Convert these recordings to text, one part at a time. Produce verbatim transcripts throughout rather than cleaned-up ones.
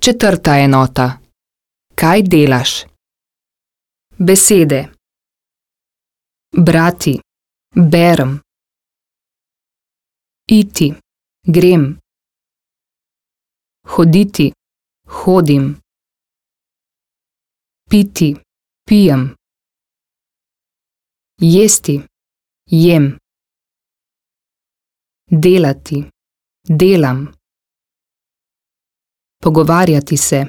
Četrta enota. Kaj delaš? Besede. Brati, berem. Iti, grem. Hoditi, hodim. Piti, pijem. Jesti, jem. Delati, delam. Pogovarjati se,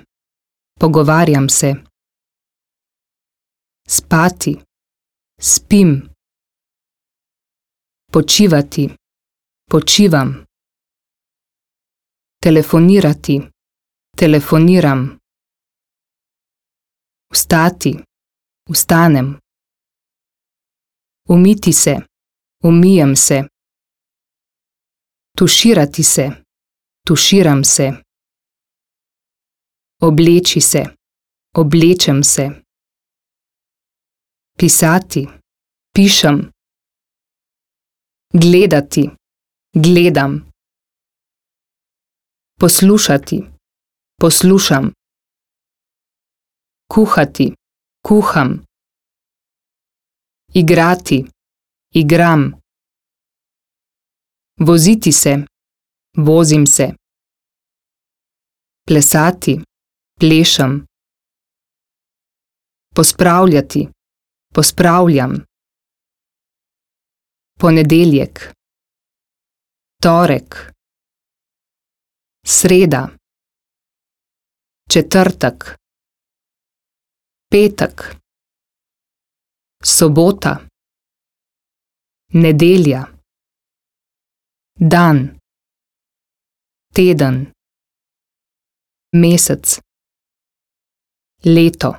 pogovarjam se. Spati, spim. Počivati, počivam. Telefonirati, telefoniram. Vstati, vstanem. Umiti se, umijem se. Tuširati se, tuširam se. Obleči se, oblečem se. Pisati, pišem. Gledati, gledam. Poslušati, poslušam. Kuhati, kuham. Igrati, igram. Voziti se, vozim se. Plesati, plešem. Pospravljati, pospravljam. Ponedeljek, torek, sreda, četrtek, petek, sobota, nedelja, dan, teden, mesec, leto,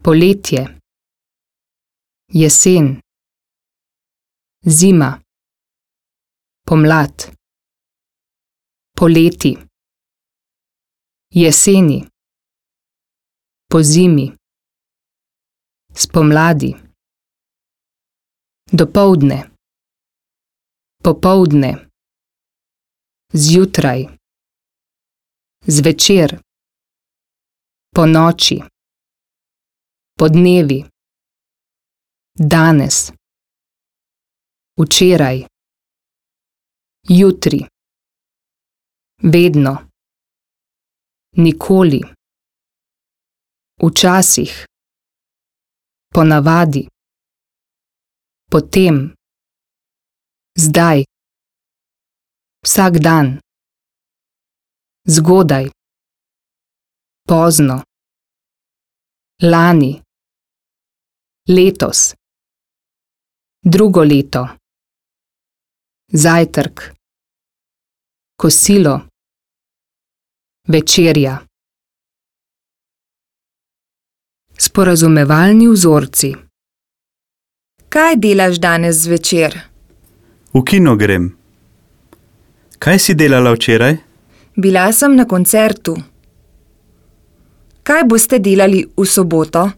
poletje, jesen, zima, pomlad, poleti, jeseni, pozimi, spomladi, dopoldne, popoldne, zjutraj, zvečer, ponoči, podnevi, danes, včeraj, jutri, vedno, nikoli, včasih, ponavadi, potem, zdaj, vsak dan, zgodaj, pozno, lani, letos, drugo leto, zajtrk, kosilo, večerja. Sporazumevalni vzorci. Kaj delaš danes zvečer? V kino grem. Kaj si delala včeraj? Bila sem na koncertu. Kaj boste delali v soboto?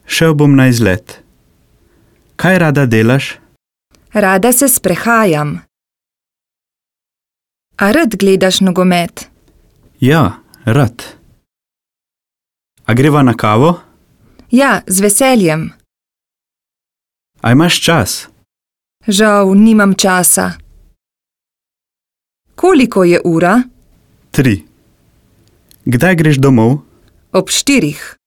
Šel bom na izlet. Kaj rada delaš? Rada se sprehajam. A rad gledaš nogomet? Ja, rad. A greva na kavo? Ja, z veseljem. A imaš čas? Žal, nimam časa. Koliko je ura? Tri. Kdaj greš domov? Ob štirih.